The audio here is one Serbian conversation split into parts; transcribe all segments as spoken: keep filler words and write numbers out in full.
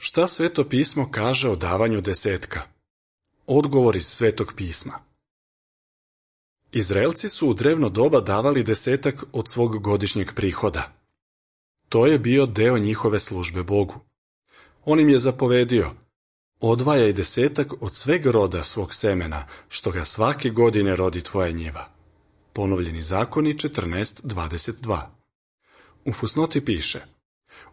Šta Sveto pismo kaže o davanju desetka? Odgovor iz Svetog pisma. Izraelci su u drevno doba davali desetak od svog godišnjeg prihoda. To je bio deo njihove službe Bogu. On im je zapovedio: odvajaj desetak od sveg roda svog semena, što ga svake godine rodi tvoja njiva. Ponovljeni zakoni četrnaest dvadeset dva. U fusnoti piše: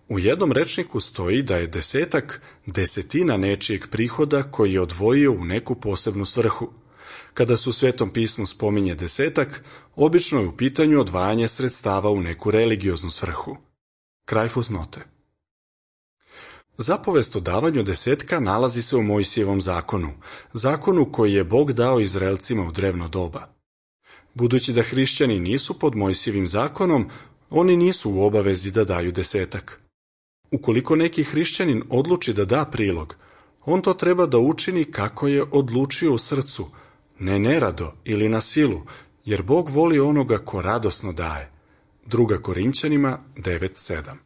u jednom rečniku stoji da je desetak desetina nečijeg prihoda koji je odvojio u neku posebnu svrhu. Kada se u Svetom pismu spominje desetak, obično je u pitanju odvajanje sredstava u neku religioznu svrhu. Kraj fusnote. Zapovest o davanju desetka nalazi se u Mojsijevom zakonu, zakonu koji je Bog dao Izraelcima u drevno doba. Budući da hrišćani nisu pod Mojsijevim zakonom, oni nisu u obavezi da daju desetak. Ukoliko neki hrišćanin odluči da da prilog, on to treba da učini kako je odlučio u srcu, ne nerado ili na silu, jer Bog voli onoga ko radosno daje. Druga Korinćanima devet sedam.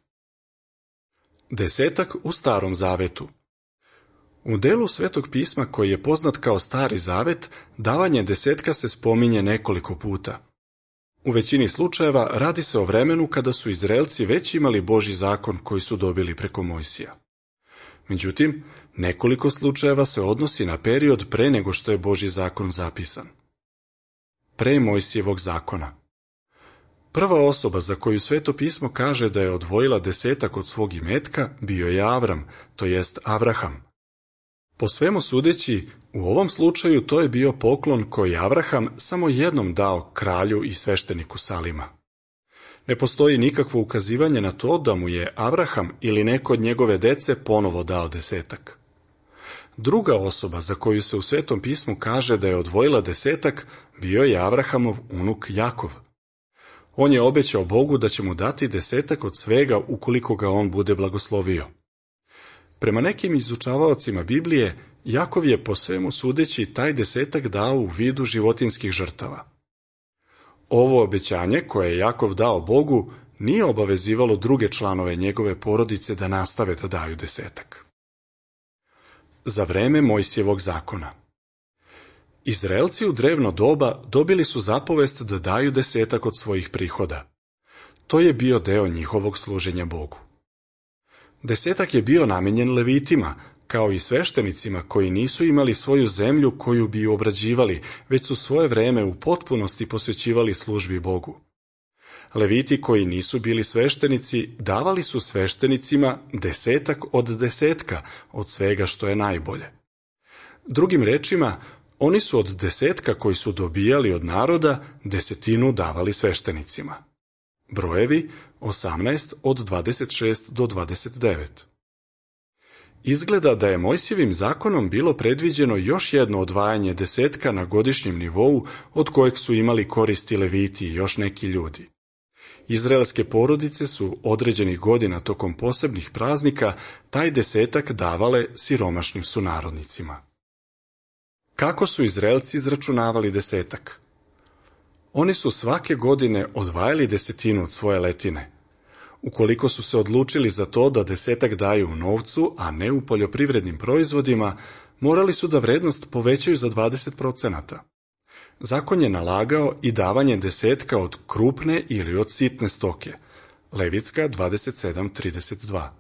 Desetak u Starom zavetu. U delu Svetog pisma koji je poznat kao Stari zavet, davanje desetka se spominje nekoliko puta. U većini slučajeva radi se o vremenu kada su Izraelci već imali Božji zakon koji su dobili preko Mojsija. Međutim, nekoliko slučajeva se odnosi na period pre nego što je Božji zakon zapisan. Pre Mojsijevog zakona. Prva osoba za koju Sveto pismo kaže da je odvojila desetak od svog imetka bio je Avram, to jest Avraham. Po svemu sudeći, u ovom slučaju to je bio poklon koji Avraham samo jednom dao kralju i svešteniku Salima. Ne postoji nikakvo ukazivanje na to da mu je Avraham ili neko od njegove dece ponovo dao desetak. Druga osoba za koju se u Svetom pismu kaže da je odvojila desetak bio je Avrahamov unuk Jakov. On je obećao Bogu da će mu dati desetak od svega ukoliko ga on bude blagoslovio. Prema nekim izučavaocima Biblije, Jakov je po svemu sudeći taj desetak dao u vidu životinjskih žrtava. Ovo obećanje koje je Jakov dao Bogu nije obavezivalo druge članove njegove porodice da nastave da daju desetak. Za vreme Mojsijevog zakona. Izraelci u drevno doba dobili su zapovest da daju desetak od svojih prihoda. To je bio deo njihovog služenja Bogu. Desetak je bio namenjen levitima, kao i sveštenicima koji nisu imali svoju zemlju koju bi obrađivali, već su svoje vreme u potpunosti posvećivali službi Bogu. Leviti koji nisu bili sveštenici davali su sveštenicima desetak od desetka od svega što je najbolje. Drugim rečima, oni su od desetka koji su dobijali od naroda desetinu davali sveštenicima. Brojevi osamnaest od dvadeset šest do dvadeset devet. Izgleda da je Mojsijevim zakonom bilo predviđeno još jedno odvajanje desetka na godišnjem nivou od kojeg su imali koristi leviti i još neki ljudi. Izraelske porodice su određenih godina tokom posebnih praznika taj desetak davale siromašnim sunarodnicima. Kako su Izraelci izračunavali desetak? Oni su svake godine odvajali desetinu od svoje letine. Ukoliko su se odlučili za to da desetak daju u novcu, a ne u poljoprivrednim proizvodima, morali su da vrednost povećaju za dvadeset procenata. Zakon je nalagao i davanje desetka od krupne ili od sitne stoke. Levitska dvadeset sedam trideset dva.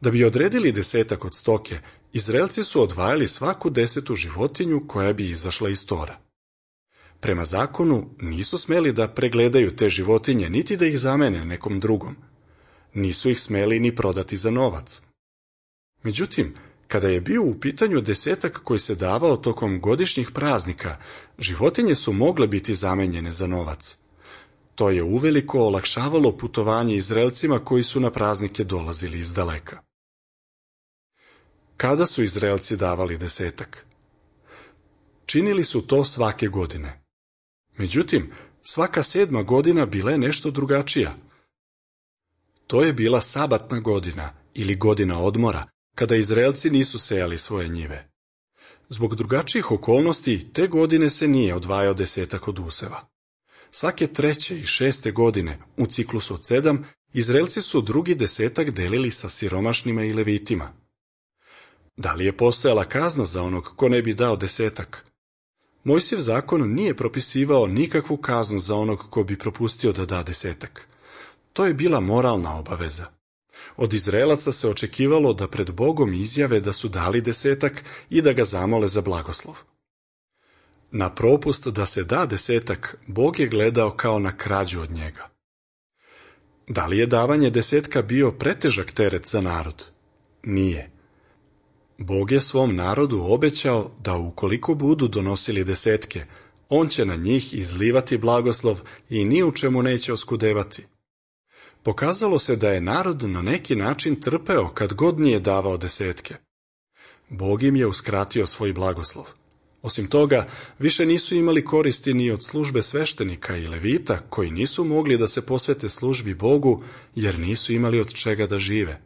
Da bi odredili desetak od stoke, Izraelci su odvajali svaku desetu životinju koja bi izašla iz tora. Prema zakonu nisu smeli da pregledaju te životinje, niti da ih zamene nekom drugom. Nisu ih smeli ni prodati za novac. Međutim, kada je bio u pitanju desetak koji se davao tokom godišnjih praznika, životinje su mogle biti zamenjene za novac. To je uveliko olakšavalo putovanje Izraelcima koji su na praznike dolazili iz daleka. Kada su Izraelci davali desetak? Činili su to svake godine. Međutim, svaka sedma godina bila je nešto drugačija. To je bila sabatna godina ili godina odmora, kada Izraelci nisu sejali svoje njive. Zbog drugačijih okolnosti, te godine se nije odvajao desetak od useva. Svake treće i šeste godine, u ciklusu od sedam, Izraelci su drugi desetak delili sa siromašnima i levitima. Da li je postojala kazna za onog ko ne bi dao desetak? Mojsijev zakon nije propisivao nikakvu kaznu za onog ko bi propustio da da desetak. To je bila moralna obaveza. Od Izraelaca se očekivalo da pred Bogom izjave da su dali desetak i da ga zamole za blagoslov. Na propust da se da desetak, Bog je gledao kao na krađu od njega. Da li je davanje desetka bio pretežak teret za narod? Nije. Bog je svom narodu obećao da ukoliko budu donosili desetke, on će na njih izlivati blagoslov i ni u čemu neće oskudevati. Pokazalo se da je narod na neki način trpeo kad god nije davao desetke. Bog im je uskratio svoj blagoslov. Osim toga, više nisu imali koristi ni od službe sveštenika i levita, koji nisu mogli da se posvete službi Bogu, jer nisu imali od čega da žive.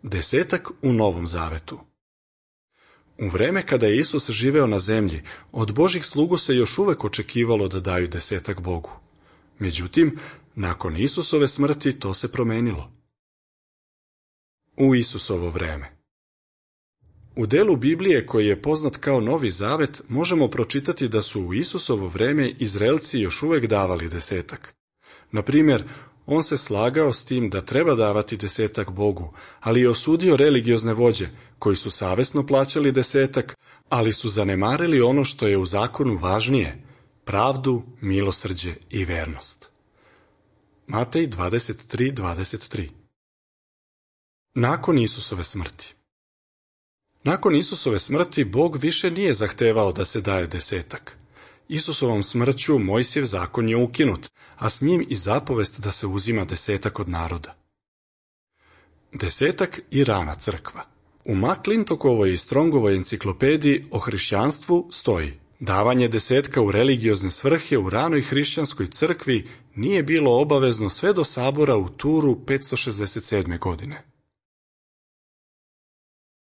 Desetak u Novom Zavetu. U vreme kada je Isus živeo na zemlji, od Božih slugu se još uvek očekivalo da daju desetak Bogu. Međutim, nakon Isusove smrti to se promenilo. U Isusovo vreme. U delu Biblije koji je poznat kao Novi Zavet možemo pročitati da su u Isusovo vreme Izraelci još uvek davali desetak. Na primjer, on se slagao s tim da treba davati desetak Bogu, ali je osudio religiozne vođe koji su savesno plaćali desetak, ali su zanemarili ono što je u zakonu važnije, pravdu, milosrđe i vernost. Matej dvadeset tri dvadeset tri. Nakon Isusove smrti. Nakon Isusove smrti Bog više nije zahtevao da se daje desetak. Isusovom smrću Mojsijev zakon je ukinut, a s njim i zapovest da se uzima desetak od naroda. Desetak i rana crkva. U McClintokovoj i Strongovoj enciklopediji o hrišćanstvu stoji: davanje desetka u religiozne svrhe u ranoj hrišćanskoj crkvi nije bilo obavezno sve do sabora u Turu petsto šezdeset sedme godine.